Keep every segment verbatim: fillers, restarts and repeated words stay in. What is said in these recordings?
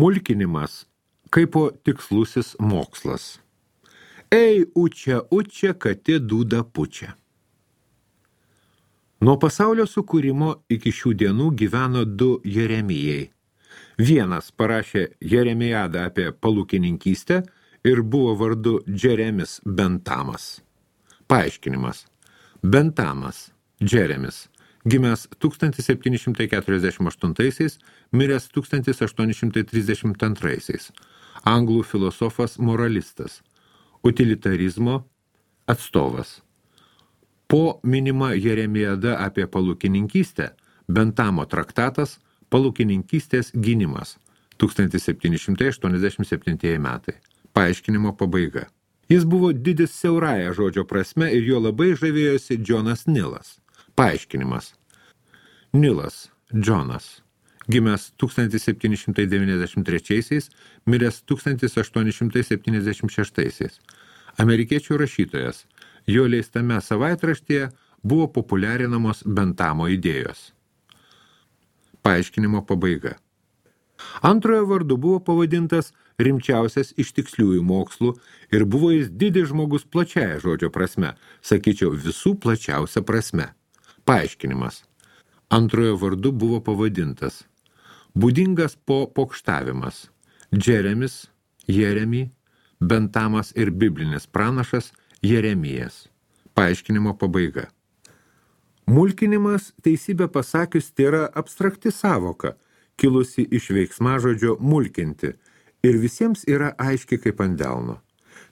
Mulkinimas kaipo tikslusis mokslas. Ei, učia, učia, katė dūda pučia. Nuo pasaulio sukūrimo iki šių dienų gyveno du Jeremijai. Vienas parašė Jeremijadą apie palūkininkystę ir buvo vardu Džeremis Bentamas. Paaiškinimas. Bentamas, Džeremis, gimęs tūkstantis septyni šimtai keturiasdešimt aštuntaisiais, miręs tūkstantis aštuoni šimtai trisdešimt antraisiais. Anglų filosofas moralistas, utilitarizmo atstovas. Po minima Jeremijada apie palūkininkystę, Bentamo traktatas Palūkininkystės gynimas, tūkstantis septyni šimtai aštuoniasdešimt septintieji metai. Paaiškinimo pabaiga. Jis buvo didis siaurąja žodžio prasme ir jo labai žavėjosi Džonas Nilas. Paaiškinimas. Nilas, Džonas, gimęs tūkstantis septyni šimtai devyniasdešimt trečiaisiais, miręs tūkstantis aštuoni šimtai septyniasdešimt šeštaisiais. Amerikiečių rašytojas. Jo leistame savaitraštyje buvo populiarinamos Bentamo idėjos. Paaiškinimo pabaiga. Antrojo vardu buvo pavadintas rimčiausias iš tiksliųjų mokslų ir buvo jis didis žmogus plačiaja žodžio prasme, sakyčiau visų plačiausia prasme. Paaiškinimas. Antrojo vardu buvo pavadintas. Būdingas po pokštavimas. Džeremis, Jeremy, Bentamas ir biblinis pranašas Jeremijas. Paaiškinimo pabaiga. Mulkinimas, teisybę pasakius, tai yra abstrakti savoka, kilusi iš veiksmažodžio mulkinti ir visiems yra aiški kaip ant delno.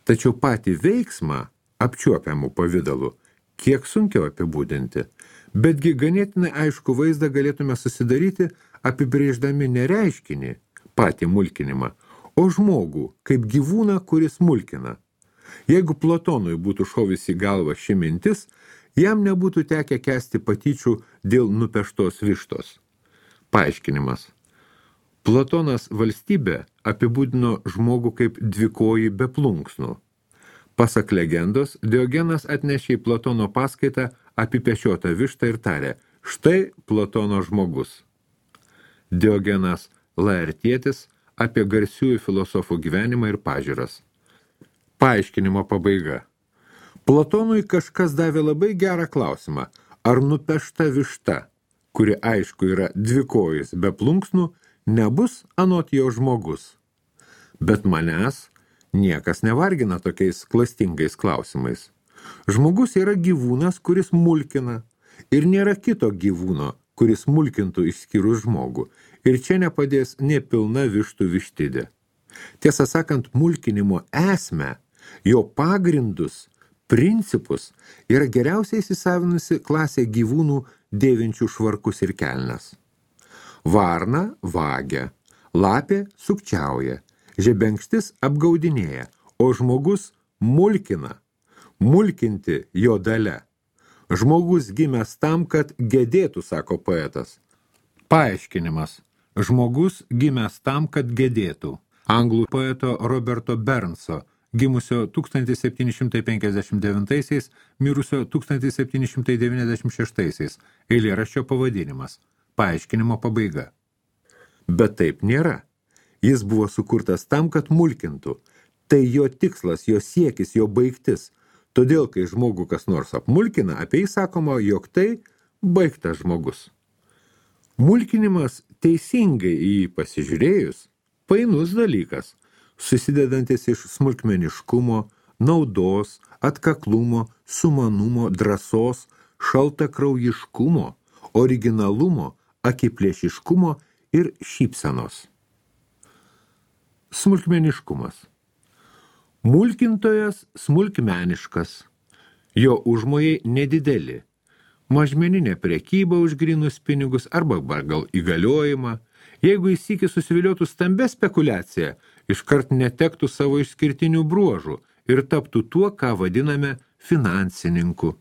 Tačiau patį veiksmą apčiuopiamų pavidalu kiek sunkiau apibūdinti, betgi ganėtinai aišku vaizdą galėtume susidaryti apibrėždami ne reiškinį, patį mulkinimą, o žmogų kaip gyvūną, kuris mulkina. Jeigu Platonui būtų šovusi į galvą ši mintis, jam nebūtų tekę kęsti patyčių dėl nupeštos vištos. Paaiškinimas. Platonas valstybę apibūdino žmogų kaip dvikojį be plunksnų. Pasak legendos, Diogenas atnešė į Platono paskaitą apipešiotą vištą ir tarė: štai Platono žmogus. Diogenas Laertietis apie garsiųjų filosofų gyvenimą ir pažiūras. Paaiškinimo pabaiga. Platonui kažkas davė labai gerą klausimą, ar nupešta višta, kuri aišku yra dvikojis be plunksnų, nebus anot jo žmogus. Bet manęs niekas nevargina tokiais klastingais klausimais. Žmogus yra gyvūnas, kuris mulkina, ir nėra kito gyvūno, kuris mulkintų išskyrus žmogų, ir čia nepadės nė pilna vištų vištidė. Tiesą sakant, mulkinimo esmę, jo pagrindus, principus yra geriausiai įsisavinusi klasė gyvūnų dėvinčių švarkus ir kelnes. Varna vagia, lapė sukčiauja, žebenkštis apgaudinėja, o žmogus mulkina. Mulkinti jo dalia. Žmogus gimęs tam, kad gedėtų, sako poetas. Paaiškinimas. Žmogus gimęs tam, kad gedėtų. Anglų poeto Roberto Bernso, gimusio tūkstantis septyni šimtai penkiasdešimt devintaisiais, mirusio tūkstantis septyni šimtai devyniasdešimt šeštaisiais, eilėraščio pavadinimas. Paaiškinimo pabaiga. Bet taip nėra. Jis buvo sukurtas tam, kad mulkintų. Tai jo tikslas, jo siekis, jo baigtis. Todėl, kai žmogų kas nors apmulkina, apie jį sakoma, jog tai baigtas žmogus. Mulkinimas teisingai į jį pasižiūrėjus, painus dalykas, susidedantis iš smulkmeniškumo, naudos, atkaklumo, sumanumo, drąsos, šaltakraujiškumo, originalumo, akiplėšiškumo ir šypsenos. Smulkmeniškumas. Mulkintojas smulkmeniškas. Jo užmojai nedideli. Mažmeninė prekyba už grynus pinigus arba gal įgaliojimą. Jeigu jis sykį susiviliotų stambia spekulacija, iškart netektų savo išskirtinių bruožų ir taptų tuo, ką vadiname finansininku.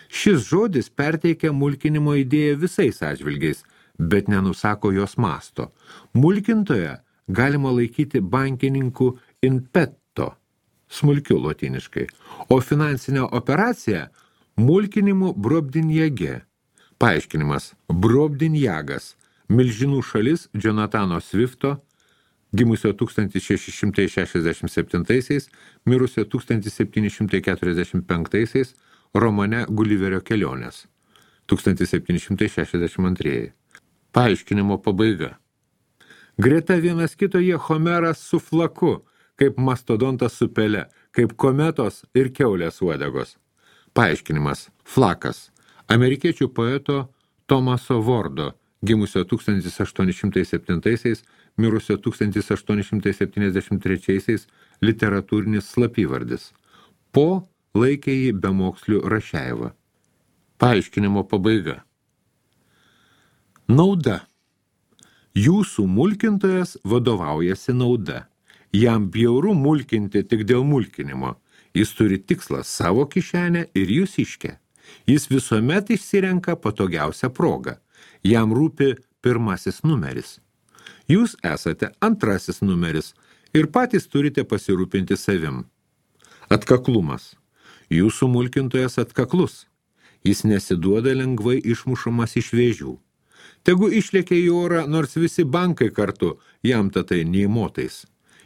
Šis žodis perteikia mulkinimo idėją visais atžvilgiais, bet nenusako jos masto. Mulkintoje galima laikyti bankininku in petto, smulkiu lotiniškai, o finansinę operaciją mulkinimu brobdinjage. Paaiškinimas. Brobdinjagas. Milžinų šalis Jonatano Swifto, gimusio tūkstantis šeši šimtai šešiasdešimt septintaisiais, mirusio tūkstantis septyni šimtai keturiasdešimt penktaisiais romane Guliverio kelionės, tūkstantis septyni šimtai šešiasdešimt antrieji. Paaiškinimo pabaiga. Greta vienas kito jie Homeras su flaku, kaip mastodontas su pele, kaip kometos ir kiaulės uodegos. Paaiškinimas. Flakas. Amerikiečių poeto Thomaso Wardo, gimusio tūkstantis aštuoni šimtai septintaisiais, mirusio tūkstantis aštuoni šimtai septyniasdešimt trečiaisiais literatūrinis slapyvardis. Po laikė jį bemoksliu Rašeivą. Paaiškinimo pabaiga. Nauda. Jūsų mulkintojas vadovaujasi nauda. Jam bjauru mulkinti tik dėl mulkinimo. Jis turi tikslą savo kišenę ir jūs iškę. Jis visuomet išsirenka patogiausią progą. Jam rūpi pirmasis numeris. Jūs esate antrasis numeris ir patys turite pasirūpinti savim. Atkaklumas. Jūsų mulkintojas atkaklus. Jis nesiduoda lengvai išmušamas iš vėžių. Tegu išlėkė į orą, nors visi bankai kartu, jam tatai nei motais.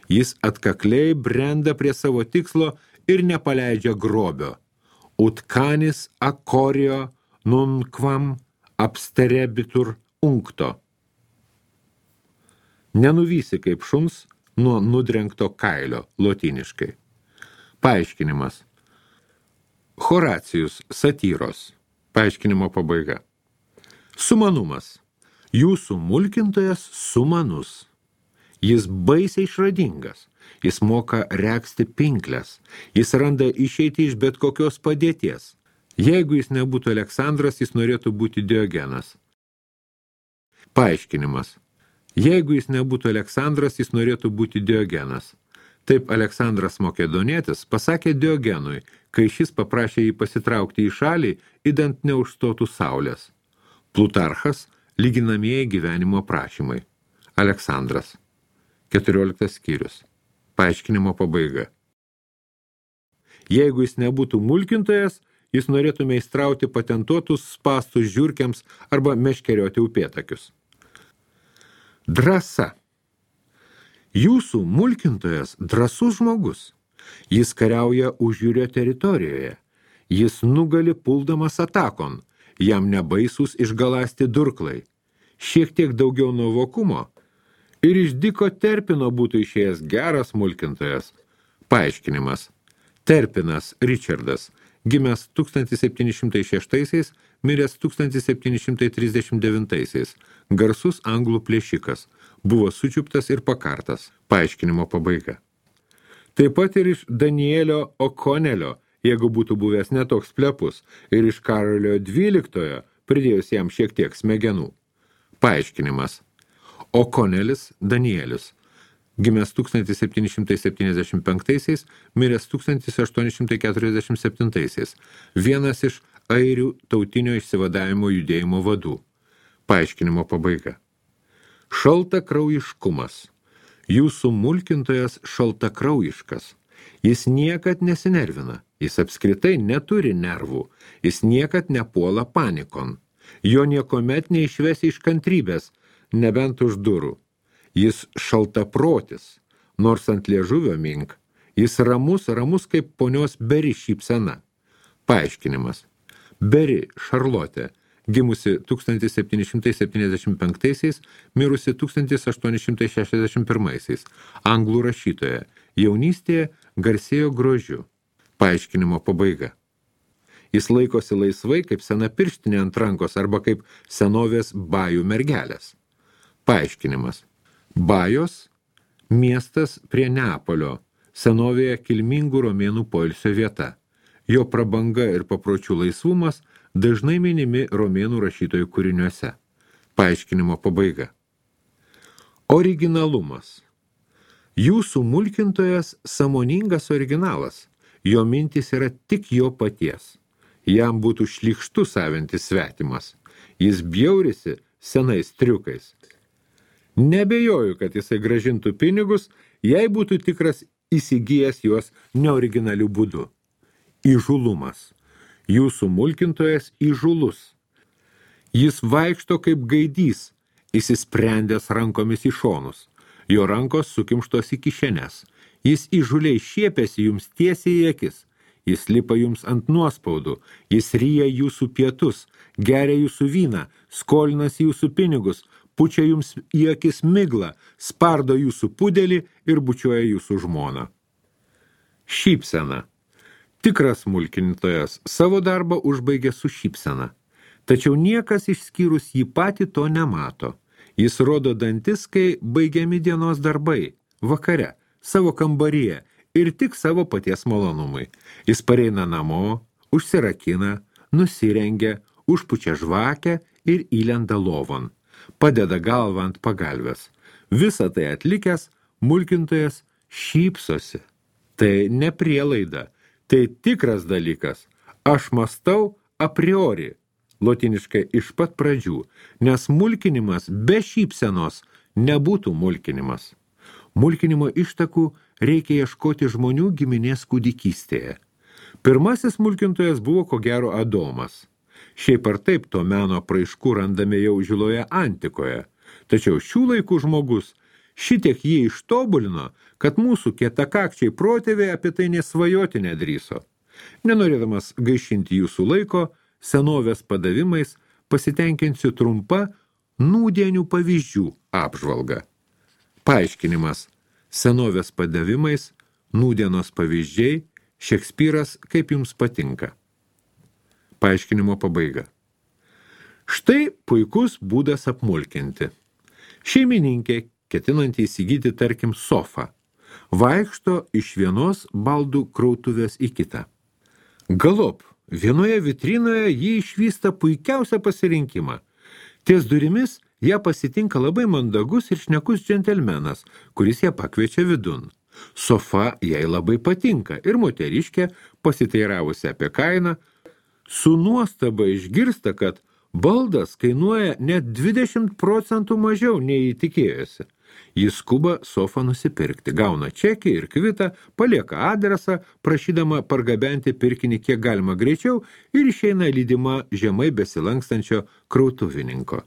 Jis atkakliai brenda prie savo tikslo ir nepaleidžia grobio. Utkanis akorio nunquam absterebitur uncto. Nenuvysi kaip šuns nuo nudrengto kailio, lotyniškai. Paaiškinimas. Horacijus, satyros. Paaiškinimo pabaiga. Sumanumas. Jūsų mulkintojas sumanus. Jis baisiai išradingas. Jis moka regzti pinkles. Jis randa išeitį iš bet kokios padėties. Jeigu jis nebūtų Aleksandras, jis norėtų būti Diogenas. Paaiškinimas. Jeigu jis nebūtų Aleksandras, jis norėtų būti Diogenas. Taip Aleksandras Makedonietis pasakė Diogenui, kai šis paprašė jį pasitraukti į šalį, idant neužstotų saulės. Plutarchas, lyginamieji gyvenimo prašymai. Aleksandras. keturioliktas skyrius. Paaiškinimo pabaiga. Jeigu jis nebūtų mulkintojas, jis norėtų meistrauti patentuotus spastus žiurkiams arba meškerioti upėtakius. Drąsa. Jūsų mulkintojas drąsus žmogus. Jis kariauja užjūrio teritorijoje. Jis nugali puldamas atakon. Jam nebaisūs išgalasti durklai. Šiek tiek daugiau nuovokumo ir iš Diko Terpino būtų išėjęs geras mulkintojas. Paaiškinimas. Terpinas Richardas, gimęs tūkstantis septyni šimtai šeštaisiais, miręs tūkstantis septyni šimtai trisdešimt devintaisiais. Garsus anglų plėšikas. Buvo sučiuptas ir pakartas. Paaiškinimo pabaiga. Taip pat ir iš Danielio O'Connellio, jeigu būtų buvęs netoks plepus, ir iš Karolio dvyliktojo, pridėjus jam šiek tiek smegenų. Paaiškinimas. O'Connellis Danielis, gimęs tūkstantis septyni šimtai septyniasdešimt penktaisiais, miręs tūkstantis aštuoni šimtai keturiasdešimt septintaisiais, vienas iš airių tautinio išsivadavimo judėjimo vadų. Paaiškinimo pabaiga. Šaltakraujiškumas. Jūsų mulkintojas šaltakraujiškas. Jis niekad nesinervina. Jis apskritai neturi nervų. Jis niekad nepuola panikon. Jo niekomet neišvesi iš kantrybės, nebent už durų. Jis šaltaprotis, nors ant liežuvio mink. Jis ramus, ramus kaip ponios Beri šypsena. Paaiškinimas. Beri Šarlotė, gimusi tūkstantis septyni šimtai septyniasdešimt penktaisiais, mirusi tūkstantis aštuoni šimtai šešiasdešimt pirmaisiais, anglų rašytoja, jaunystėje garsėjo grožiu. Paaiškinimo pabaiga. Jis laikosi laisvai kaip sena pirštinė ant rankos arba kaip senovės bajų mergelės. Paaiškinimas. Bajos – miestas prie Neapolio, senovėje kilmingų romėnų poilsio vieta. Jo prabanga ir papročių laisvumas dažnai minimi romėnų rašytojų kūriniuose. Paaiškinimo pabaiga. Originalumas. Jūsų mulkintojas sąmoningas originalas. Jo mintis yra tik jo paties. Jam būtų šlykštu savintis svetimas. Jis bjaurisi senais triukais. Nebejoju, kad jisai grąžintų pinigus, jei būtų tikras įsigijęs juos neoriginalių būdų. Įžulumas. Jūsų mulkintojas įžulus. Jis vaikšto kaip gaidys, įsisprendęs rankomis į šonus. Jo rankos sukimštos į kišenes. Jis įžuliai šiepėsi jums tiesiai į akis. Jis lipa jums ant nuospaudų. Jis ryja jūsų pietus, geria jūsų vyną, skolinasi jūsų pinigus, pučia jums į akis miglą, spardo jūsų pudelį ir bučiuoja jūsų žmoną. Šypsena. Tikras mulkintojas savo darbą užbaigia su šypsena. Tačiau niekas išskyrus jį patį to nemato. Jis rodo dantis, kai baigiami dienos darbai, vakare, savo kambaryje ir tik savo paties malonumui. Jis pareina namo, užsirakina, nusirengia, užpučia žvakę ir įlenda lovon. Padeda galvą ant pagalvės. Visą tai atlikęs, mulkintojas šypsosi. Tai ne prielaida, tai tikras dalykas. Aš mąstau a priori, lotiniškai iš pat pradžių, nes mulkinimas be šypsenos nebūtų mulkinimas. Mulkinimo ištakų reikia ieškoti žmonių giminės kūdikystėje. Pirmasis mulkintojas buvo ko gero Adomas. Šiaip ar taip to meno praiškų randame jau žiloje antikoje, tačiau šių laikų žmogus šitiek jį ištobulino, kad mūsų kietakakčiai protėviai apie tai nesvajoti nedrįso. Nenorėdamas gaišinti jūsų laiko, senovės padavimais pasitenkinsiu trumpa nūdienių pavyzdžių apžvalga. Paaiškinimas. Senovės padavimais, nūdienos pavyzdžiai, Šekspyras kaip jums patinka. Paaiškinimo pabaiga. Štai puikus būdas apmulkinti. Šeimininkė, ketinanti įsigyti, tarkim, sofą, vaikšto iš vienos baldų krautuvės į kitą. Galop, vienoje vitrinoje jį išvysta puikiausią pasirinkimą. Ties durimis ją pasitinka labai mandagus ir šnekus džentelmenas, kuris ją pakviečia vidun. Sofa jai labai patinka ir moteriškė, pasiteiravusi apie kainą, su nuostaba išgirsta, kad baldas kainuoja net dvidešimt procentų mažiau nei įtikėjosi. Jis skuba sofą nusipirkti, gauna čekį ir kvitą, palieka adresą, prašydama pargabenti pirkinį kiek galima greičiau ir išeina lydima žemai besilankstančio krautuvininko.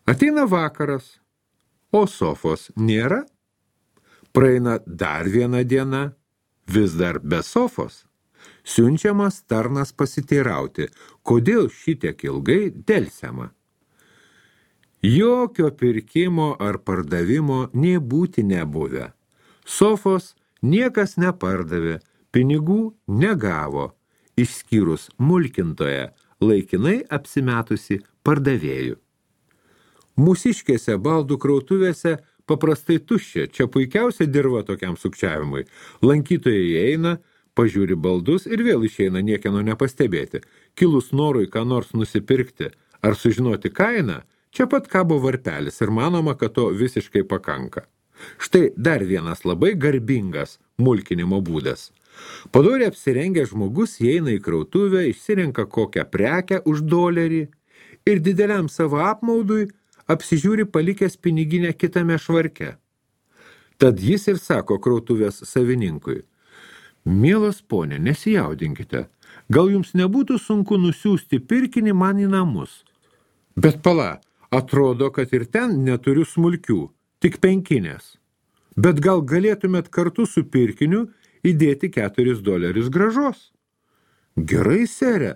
Ateina vakaras, o sofos nėra. Praeina dar viena diena, vis dar be sofos. Siunčiamas tarnas pasiteirauti, kodėl šitiek ilgai delsiama. Jokio pirkimo ar pardavimo nė būti nebuvę. Sofos niekas nepardavė, pinigų negavo, išskyrus mulkintoje, laikinai apsimetusi pardavėjų. Mūsiškėse baldų krautuvėse paprastai tuščia, čia puikiausia dirva tokiam sukčiavimui. Lankytojai eina, pažiūri baldus ir vėl išeina niekieno nepastebėti. Kilus norui ką nors nusipirkti ar sužinoti kainą, čia pat kabo varpelis ir manoma, kad to visiškai pakanka. Štai dar vienas labai garbingas mulkinimo būdas. Padoriai apsirengęs žmogus įeina į krautuvę, išsirenka kokią prekę už dolerį ir dideliam savo apmaudui apsižiūri palikęs piniginę kitame švarke. Tad jis ir sako krautuvės savininkui: mielas ponė, nesijaudinkite, gal jums nebūtų sunku nusiųsti pirkinį man į namus. Bet pala, atrodo, kad ir ten neturiu smulkių, tik penkinės. Bet gal galėtumėt kartu su pirkiniu įdėti keturis dolerius gražos? Gerai, sere,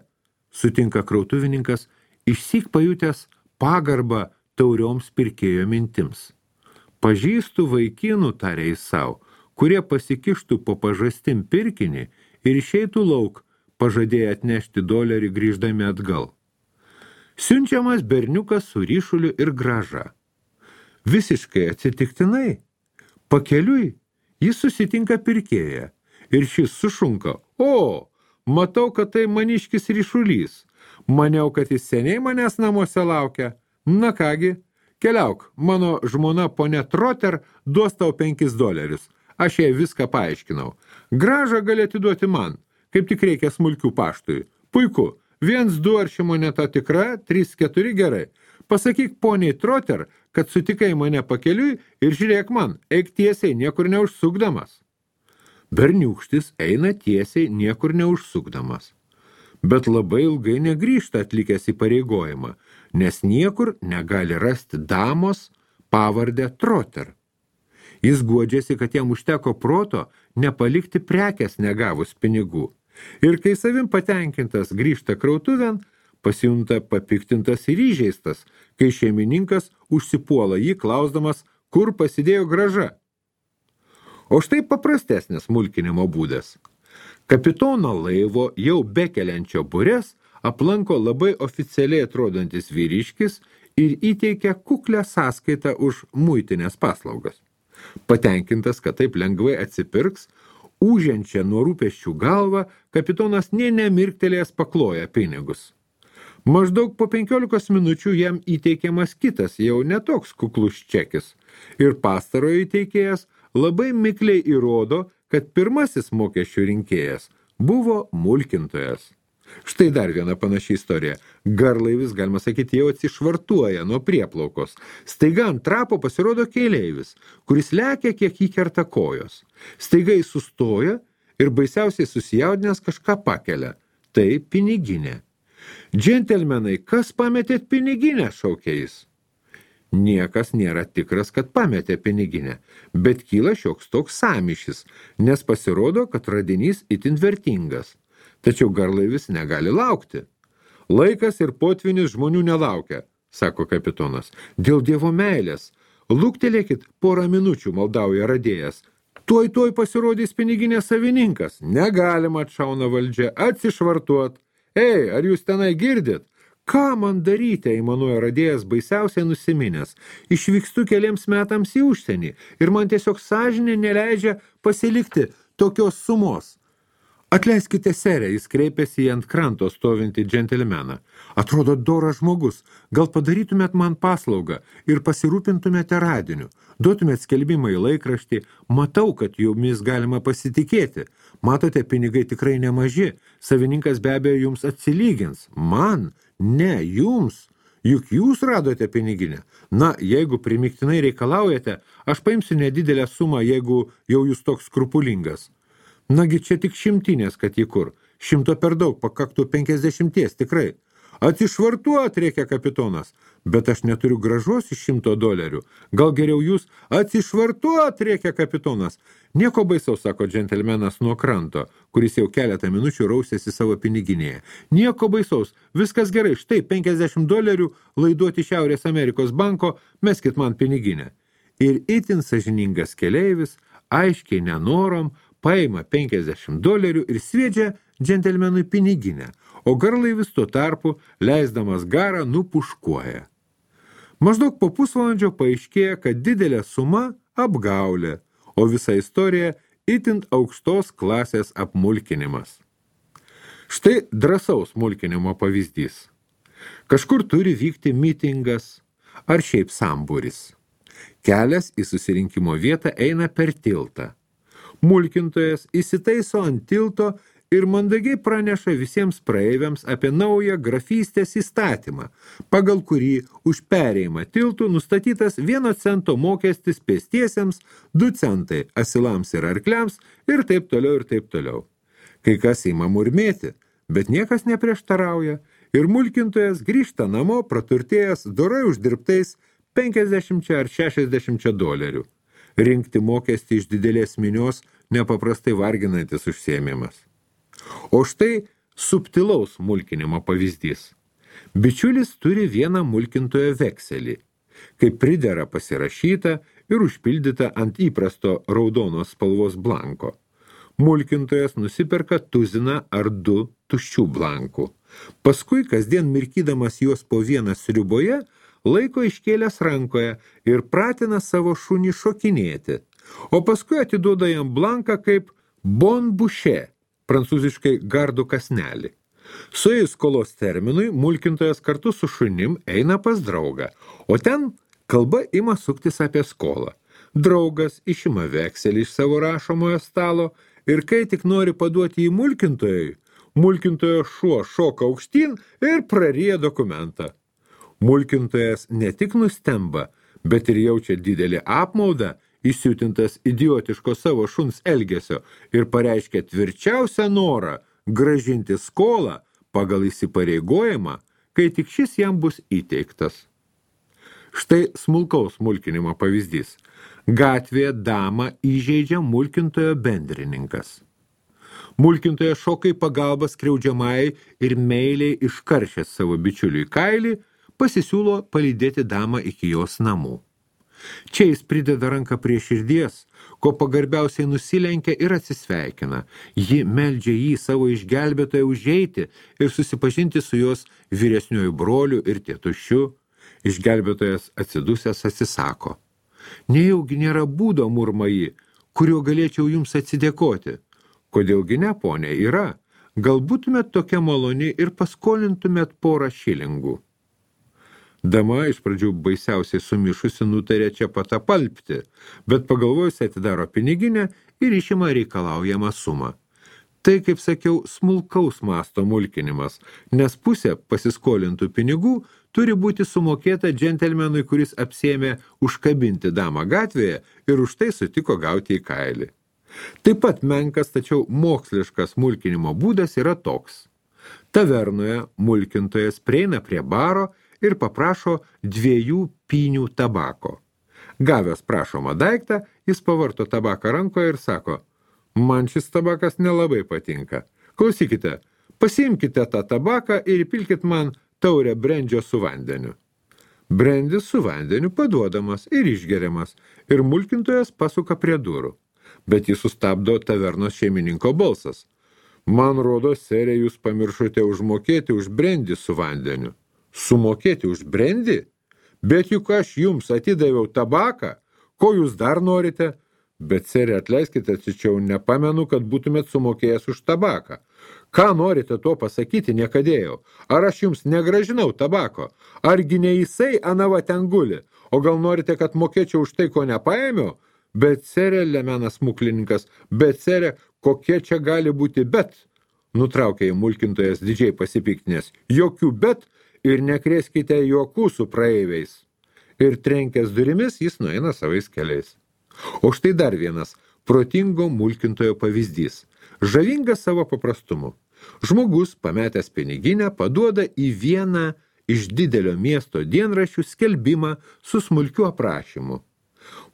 sutinka krautuvininkas, išsyk pajutęs pagarbą taurioms pirkėjo mintims. Pažįstu vaikinų, tarė jis savo, kurie pasikištų po pažastim pirkinį ir išeitų lauk, pažadėję atnešti dolerį grįždami atgal. Siunčiamas berniukas su ryšuliu ir graža. Visiškai atsitiktinai, pakeliui, jis susitinka pirkėją ir šis sušunka: o, matau, kad tai maniškis ryšulys. Maniau, kad jis seniai manęs namuose laukia. Na kągi, keliauk, mano žmona ponė Trotter duos tau penkis dolerius. Aš jai viską paaiškinau. Gražą gali atiduoti man, kaip tik reikia smulkių paštui. Puiku, viens, du ar ši moneta tikra, trys, keturi gerai. Pasakyk poniai Trotter, kad sutikai mane pakeliui ir žiūrėk man, eik tiesiai, niekur neužsukdamas. Berniūkštis eina tiesiai, niekur neužsukdamas. Bet labai ilgai negrįžta atlikęs įpareigojimą, nes niekur negali rasti damos pavardę Trotter. Jis guodžiasi, kad jam užteko proto nepalikti prekės negavus pinigų. Ir kai savim patenkintas grįžta krautuvėn, pasijunta papiktintas ir įžeistas, kai šeimininkas užsipuola jį klausdamas, kur pasidėjo grąža. O štai paprastesnis mulkinimo būdas. Kapitono laivo jau bekeliančio burės aplanko labai oficialiai atrodantis vyriškis ir įteikia kuklę sąskaitą už muitinės paslaugas. Patenkintas, kad taip lengvai atsipirks, ūžiančią nuo rūpesčių galvą, kapitonas nė nemirktelėjęs pakloja pinigus. Maždaug po penkiolikos minučių jam įteikiamas kitas, jau netoks kuklus čekis, ir pastarojo įteikėjas labai mikliai įrodo, kad pirmasis mokesčių rinkėjas buvo mulkintojas. Štai dar viena panaši istorija. Garlaivis, galima sakyti, jau atsišvartuoja nuo prieplaukos. Staiga ant trapo pasirodo keleivis, kuris lekia, kiek jį kerta kojos. Staiga jis sustoja ir baisiausiai susijaudinęs kažką pakelia. Tai piniginė. Džentelmenai, kas pametėt piniginę, šaukia jis. Niekas nėra tikras, kad pametė piniginę, bet kyla šioks toks sąmyšis, nes pasirodo, kad radinys itin vertingas. Tačiau garlaivis negali laukti. Laikas ir potvinis žmonių nelaukia, sako kapitonas. Dėl Dievo meilės. Luktelėkit porą minučių, maldauja radėjas. Tuoj tuoj pasirodys piniginės savininkas. Negalima, atšauna valdžia, atsišvartuot. Ei, ar jūs tenai girdit? Ką man daryti, aimanuoja radėjas baisiausiai nusiminęs. Išvykstu keliems metams į užsienį ir man tiesiog sąžinė neleidžia pasilikti tokios sumos. Atleiskite, serė, jis kreipėsi į ant kranto stovintį džentelmeną. Atrodo doras žmogus, gal padarytumėt man paslaugą ir pasirūpintumėte radiniu. Duotumėt skelbimą į laikraštį, matau, kad jumis galima pasitikėti. Matote, pinigai tikrai nemaži, savininkas be abejo jums atsilygins. Man? Ne, jums. Juk jūs radote piniginę. Na, jeigu primiktinai reikalaujate, aš paimsiu nedidelę sumą, jeigu jau jūs toks skrupulingas. Nagi čia tik šimtinės, kad į kur. Šimto per daug, pakaktų penkiasdešimties, tikrai. Atsišvartuot, reikia kapitonas. Bet aš neturiu gražos iš šimto dolerių. Gal geriau jūs atsišvartuot, reikia kapitonas. Nieko baisaus, sako džentelmenas nuo kranto, kuris jau keletą minučių rausėsi savo piniginėje. Nieko baisaus, viskas gerai, štai penkiasdešimt dolerių laiduoti Šiaurės Amerikos banko, meskit man piniginę. Ir itin sąžiningas keleivis, aiškiai nenorom, paima penkiasdešimt dolerių ir sviedžia džentelmenui piniginę, o garlaivis tuo tarpu, leisdamas garą, nupuškuoja. Maždaug po pusvalandžio paaiškėja, kad didelė suma apgaulė, o visa istorija itin aukštos klasės apmulkinimas. Štai drąsaus mulkinimo pavyzdys. Kažkur turi vykti mitingas ar šiaip sambūris. Kelias į susirinkimo vietą eina per tiltą. Mulkintojas įsitaiso ant tilto ir mandagiai praneša visiems praeiviams apie naują grafystės įstatymą, pagal kurį už perėjimą tiltų nustatytas vieno cento mokestis pėstiesiems, du centai asilams ir arkliams ir taip toliau ir taip toliau. Kai kas ima murmėti, bet niekas neprieštarauja ir mulkintojas grįžta namo praturtėjęs dorai uždirbtais penkiasdešimt ar šešiasdešimt dolerių. Rinkti mokestį iš didelės minios nepaprastai varginantis užsiėmimas. O štai subtilaus mulkinimo pavyzdys. Bičiulis turi vieną mulkintojo vekselį, kai pridera pasirašyta ir užpildyta ant įprasto raudonos spalvos blanko. Mulkintojas nusiperka tuziną ar du tuščių blankų. Paskui, kasdien mirkydamas juos po vieną sriuboje, laiko iškėlęs rankoje ir pratina savo šunį šokinėti, o paskui atiduoda jam blanką kaip bon bouché, prancūziškai gardų kasnelį. Suėjus skolos terminui, mulkintojas kartu su šunim eina pas draugą, o ten kalba ima suktis apie skolą. Draugas išima vekselį iš savo rašomojo stalo ir kai tik nori paduoti į mulkintojui, mulkintojo šuo šoka aukštyn ir praryja dokumentą. Mulkintojas ne tik nustemba, bet ir jaučia didelį apmaudą, įsiutintas idiotiško savo šuns elgesio ir pareiškia tvirčiausią norą grąžinti skolą pagal įsipareigojimą, kai tik šis jam bus įteiktas. Štai smulkaus mulkinimo pavyzdys. Gatvėje damą įžeidžia mulkintojo bendrininkas. Mulkintojas šoka į pagalbą skriaudžiamai ir meiliai iškaršęs savo bičiuliui kailį, pasisiūlo palydėti damą iki jos namų. Čia jis prideda ranką prie širdies, ko pagarbiausiai nusilenkia ir atsisveikina. Ji meldžia jį savo išgelbėtoją užeiti ir susipažinti su jos vyresniuoju broliu ir tėtušiu. Išgelbėtojas atsidusęs atsisako. Nejaugi nėra būdo, murma ji, kurio galėčiau jums atsidėkoti. Kodėlgi ne, ponė, yra. Gal būtumėt tokia maloni ir paskolintumėt porą šilingų. Dama iš pradžių baisiausiai sumišusi nutarė čia pat apalpti, bet pagalvojusi atidaro piniginę ir išima reikalaujamą sumą. Tai, kaip sakiau, smulkaus masto mulkinimas, nes pusė pasiskolintų pinigų turi būti sumokėta džentelmenui, kuris apsėmė užkabinti damą gatvėje ir už tai sutiko gauti į kailį. Taip pat menkas, tačiau moksliškas mulkinimo būdas yra toks. Tavernoje mulkintojas prieina prie baro ir paprašo dviejų pynių tabako. Gavęs prašomą daiktą, jis pavarto tabaką rankoje ir sako, man šis tabakas nelabai patinka. Klausykite, pasiimkite tą tabaką ir įpilkit man taurę brendžio su vandeniu. Brendis su vandeniu paduodamas ir išgeriamas, ir mulkintojas pasuka prie durų. Bet jis sustabdo tavernos šeimininko balsas. Man rodo, serė, jūs pamiršote užmokėti už brendį su vandeniu. Sumokėti už brendį? Bet juk aš jums atidaviau tabaką. Ko jūs dar norite? Bet, serė, atleiskite, tačiau nepamenu, kad būtumėt sumokėjęs už tabaką. Ką norite tuo pasakyti, niekadėjau? Ar aš jums negražinau tabako? Argi ne jisai anava ten guli? O gal norite, kad mokėčiau už tai, ko nepaėmiau? Bet, serė, lemenas muklininkas, bet, serė, kokie čia gali būti bet? Nutraukė į mulkintojas didžiai pasipiktinės. Jokių bet ir nekrėskite juokų su praeiviais. Ir trenkęs durimis jis nueina savais keliais. O štai dar vienas protingo mulkintojo pavyzdys. Žavingas savo paprastumu. Žmogus, pametęs piniginę, paduoda į vieną iš didelio miesto dienraščių skelbimą su smulkiu aprašymu.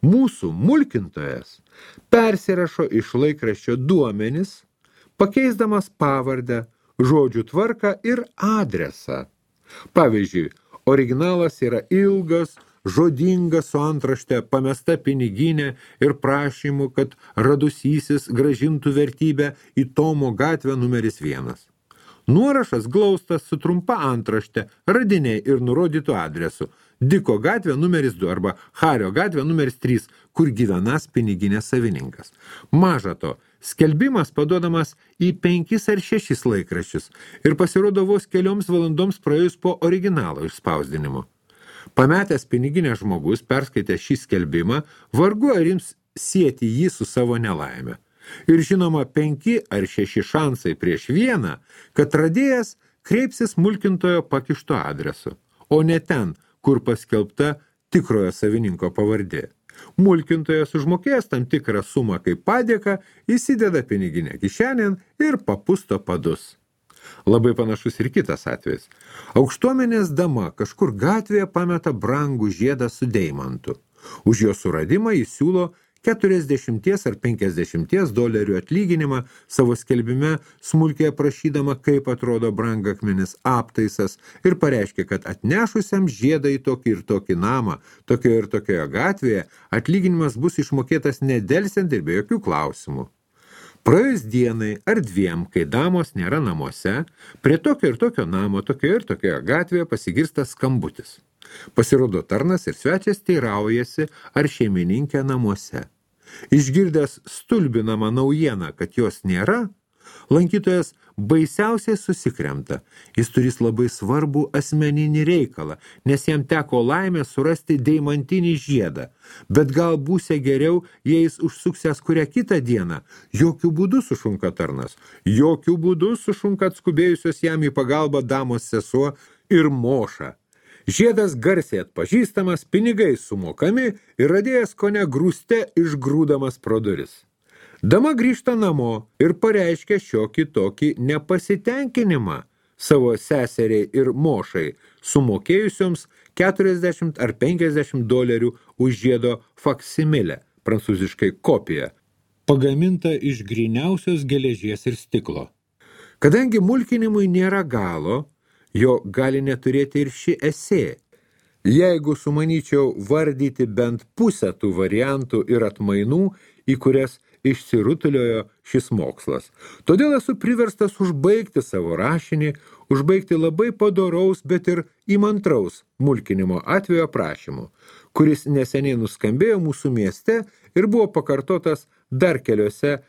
Mūsų mulkintojas persirašo iš laikraščio duomenis, pakeisdamas pavardę, žodžių tvarką ir adresą. Pavyzdžiui, originalas yra ilgas, žodingas su antrašte, pamesta piniginė ir prašymu, kad radusysis grąžintų vertybę į Tomo gatvę numeris vienas. Nuorašas glaustas su trumpa antrašte, radiniai ir nurodytų adresu. Diko gatvė numeris du arba Hario gatvė numeris trys, kur gyvenas piniginės savininkas. Maža to, skelbimas paduodamas į penkis ar šešis laikraščius ir pasirodo vos kelioms valandoms praėjus po originalo išspausdinimo. Pametęs piniginę žmogus, perskaitęs šį skelbimą, vargu ar ims sieti jį su savo nelaime. Ir žinoma, penki ar šeši šansai prieš vieną, kad radėjas kreipsis mulkintojo pakišto adresu, o ne ten, kur paskelbta tikrojo savininko pavardė. Mulkintojas užmokėjęs tam tikrą sumą kaip padėką, įsideda piniginę kišenėn ir papusto padus. Labai panašus ir kitas atvejis. Aukštuomenės dama kažkur gatvėje pameta brangų žiedą su deimantu. Už jo suradimą jis siūlo keturiasdešimties ar penkiasdešimties dolerių atlyginimą savo skelbime, smulkiai aprašydama, kaip atrodo brangakmenis aptaisas ir pareiškia, kad atnešusiam žiedą į tokį ir tokį namą, tokioje ir tokioje gatvėje, atlyginimas bus išmokėtas nedelsiant ir be jokių klausimų. Praėjus dienai ar dviem, kai damos nėra namuose, prie tokio ir tokio namo, tokioje ir tokioje gatvėje pasigirsta skambutis. Pasirodo tarnas ir svečias teiraujasi, ar šeimininkė namuose. Išgirdęs stulbinamą naujieną, kad jos nėra, lankytojas baisiausiai susikremta. Jis turės labai svarbų asmeninį reikalą, nes jam teko laimė surasti deimantinį žiedą. Bet gal būsia geriau, jei jis užsuksęs kurią kitą dieną. Jokių būdų sušunka tarnas. Jokių būdų sušunka atskubėjusios jam į pagalbą damos sesuo ir moša. Žiedas garsiai atpažįstamas, pinigai sumokami ir radėjas kone grūste išgrūdamas pro duris. Dama grįžta namo ir pareiškia šiokį tokį nepasitenkinimą savo seseriai ir mošai, sumokėjusioms keturiasdešimt ar penkiasdešimt dolerių už žiedo faksimilę, prancūziškai kopiją, pagaminta iš gryniausios geležies ir stiklo. Kadangi mulkinimui nėra galo, jo gali neturėti ir ši esė. Jeigu sumanyčiau vardyti bent pusę tų variantų ir atmainų, į kurias išsirutuliojo šis mokslas. Todėl esu priverstas užbaigti savo rašinį, užbaigti labai padoraus, bet ir įmantraus mulkinimo atvejo aprašymu, kuris neseniai nuskambėjo mūsų mieste ir buvo pakartotas dar keliose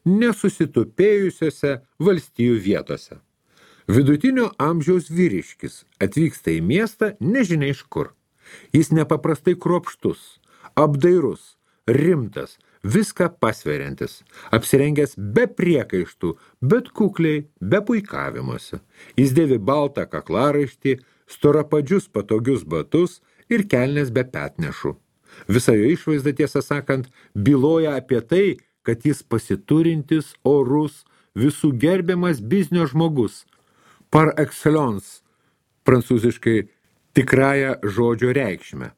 nesusitupėjusiose valstijų vietose. Vidutinio amžiaus vyriškis atvyksta į miestą nežinia iš kur. Jis nepaprastai kruopštus, apdairus, rimtas, viską pasveriantis, apsirengęs be priekaištų, bet kukliai, be puikavimuose. Jis dėvi baltą kaklaraištį, storapadžius patogius batus ir kelnes be petnešų. Visa jo išvaizda, tiesą sakant, byloja apie tai, kad jis pasiturintis, orus, visų gerbiamas biznio žmogus, par excellence, prancūziškai tikrąją žodžio reikšmę.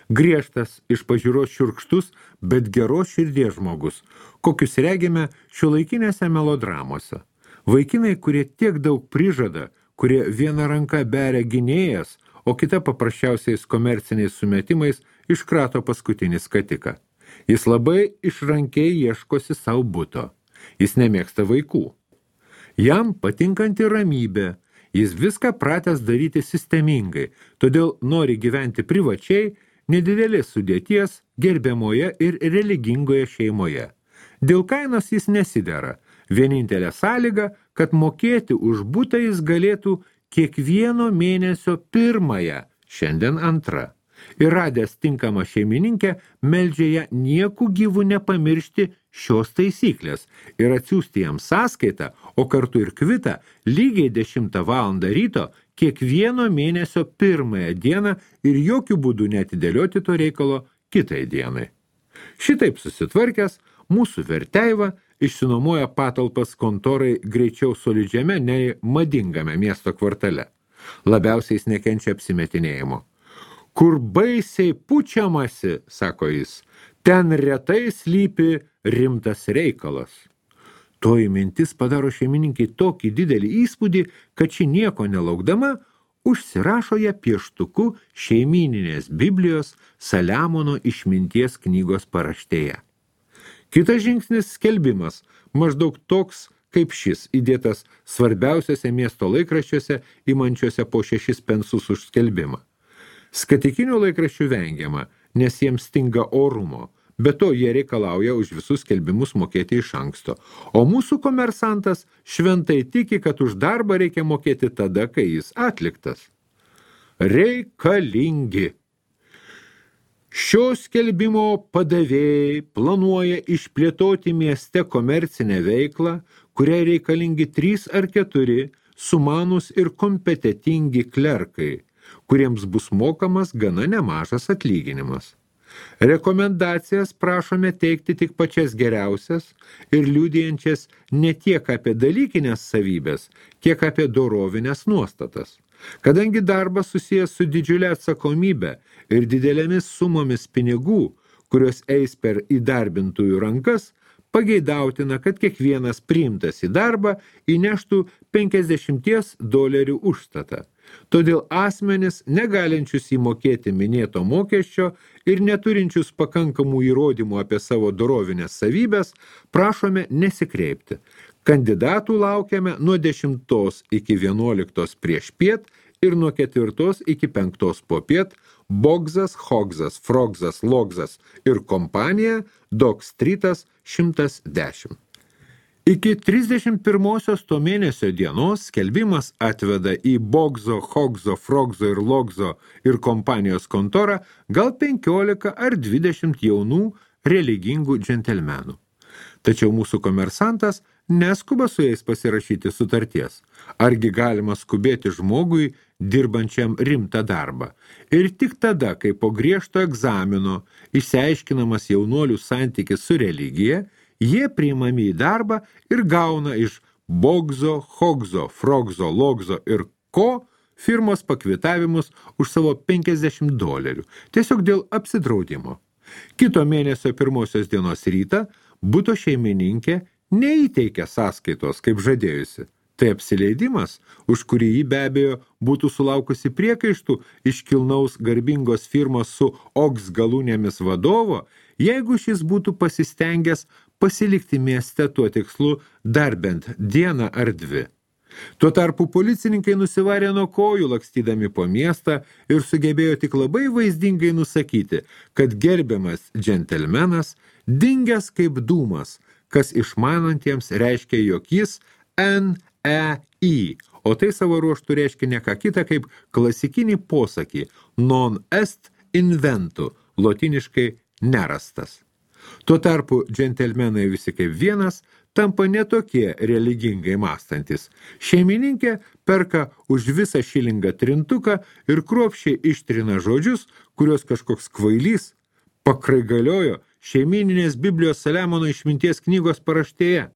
Griežtas, iš pažiūros šiurkštus, bet geros širdies žmogus, kokius regime šiuolaikinėse melodramose. Vaikinai, kurie tiek daug prižada, kurie viena ranka beria gynėjas, o kita paprasčiausiais komerciniais sumetimais iškrato paskutinį skatiką. Jis labai išrankiai ieškosi savo buto. Jis nemėgsta vaikų. Jam patinkanti ramybė, jis viską pratęs daryti sistemingai, todėl nori gyventi privačiai, nedidelės sudėties, gerbiamoje ir religingoje šeimoje. Dėl kainos jis nesidera. Vienintelė sąlyga, kad mokėti už butą jis galėtų kiekvieno mėnesio pirmąją, šiandien antrą. Ir radęs tinkamą šeimininkę, meldžia ją nieku gyvų nepamiršti šios taisyklės ir atsiųsti jam sąskaitą, o kartu ir kvitą lygiai dešimtą valandą ryto kiekvieno mėnesio pirmąją dieną ir jokių būdų neatidėlioti to reikalo kitai dienai. Šitaip susitvarkęs, mūsų verteiva išsinuomoja patalpas kontorai greičiau solidžiame nei madingame miesto kvartale. Labiausiai jis nekenčia apsimetinėjimo. Kur baisiai pučiamasi, sako jis, ten retai slypi rimtas reikalas. Toji mintis padaro šeimininkai tokį didelį įspūdį, kad ši nieko nelaukdama užsirašo ją pieštuku šeimyninės Biblijos Saliamono išminties knygos paraštėje. Kitas žingsnis skelbimas, maždaug toks kaip šis, įdėtas svarbiausiose miesto laikraščiuose, imančiuose po šešis pensus už skelbimą. Skatikinių laikraščių vengiama, nes jiems stinga orumo, be to jie reikalauja už visus skelbimus mokėti iš anksto, o mūsų komersantas šventai tiki, kad už darbą reikia mokėti tada, kai jis atliktas. Reikalingi. Šio skelbimo padavėjai planuoja išplėtoti mieste komercinę veiklą, kuriai reikalingi trys ar keturi sumanūs ir kompetentingi klerkai, kuriems bus mokamas gana nemažas atlyginimas. Rekomendacijas prašome teikti tik pačias geriausias ir liudijančias ne tiek apie dalykinės savybės, kiek apie dorovinės nuostatas. Kadangi darbas susijęs su didžiulė atsakomybė ir didelėmis sumomis pinigų, kurios eis per įdarbintųjų rankas, pageidautina, kad kiekvienas priimtas į darbą įneštų penkiasdešimt dolerių užstatą. Todėl asmenis, negalinčius įmokėti minėto mokesčio ir neturinčius pakankamų įrodymų apie savo dorovinės savybės, prašome nesikreipti. Kandidatų laukiame nuo dešimtos iki vienuoliktos prieš piet ir nuo ketvirtos iki penktos popiet Bogzas, Hogzas, Frogzas, Logzas ir kompanija Dog Streetas šimtas dešimt. Iki trisdešimt pirmosios to mėnesio dienos skelbimas atveda į Bogzo, Hogzo, Frogzo ir Logzo ir kompanijos kontorą gal penkiolika ar dvidešimt jaunų religingų džentelmenų. Tačiau mūsų komersantas neskuba su jais pasirašyti sutarties. Argi galima skubėti žmogui, dirbančiam rimtą darbą. Ir tik tada, kai po griežto egzamino išsiaiškinamas jaunuolių santykis su religija, jie priimami į darbą ir gauna iš Bogzo, Hogzo, Frogzo, Logzo ir ko firmos pakvitavimus už savo penkiasdešimt dolerių, tiesiog dėl apsidraudimo. Kito mėnesio pirmosios dienos rytą buto šeimininkė neįteikė sąskaitos, kaip žadėjusi. Tai apsileidimas, už kurį jį be abejo būtų sulaukusi priekaištų iš kilnaus garbingos firmos su oks galūnėmis vadovo, jeigu šis būtų pasistengęs pasilikti mieste tuo tikslu dar bent dieną ar dvi. Tuo tarpu policininkai nusivarė nuo kojų lakstydami po miestą ir sugebėjo tik labai vaizdingai nusakyti, kad gerbiamas džentelmenas dingęs kaip dūmas, kas išmanantiems reiškia, jog jis N E I, o tai savo ruožtų reiškia ne ką kitą kaip klasikinį posakį non est inventu, lotiniškai nerastas. Tuo tarpu džentelmenai visi kaip vienas tampa netokie religingai mąstantis. Šeimininkė perka už visą šilingą trintuką ir kruopščiai ištrina žodžius, kuriuos kažkoks kvailys pakraigaliojo šeimininės Biblijos Saliamono išminties knygos paraštėje.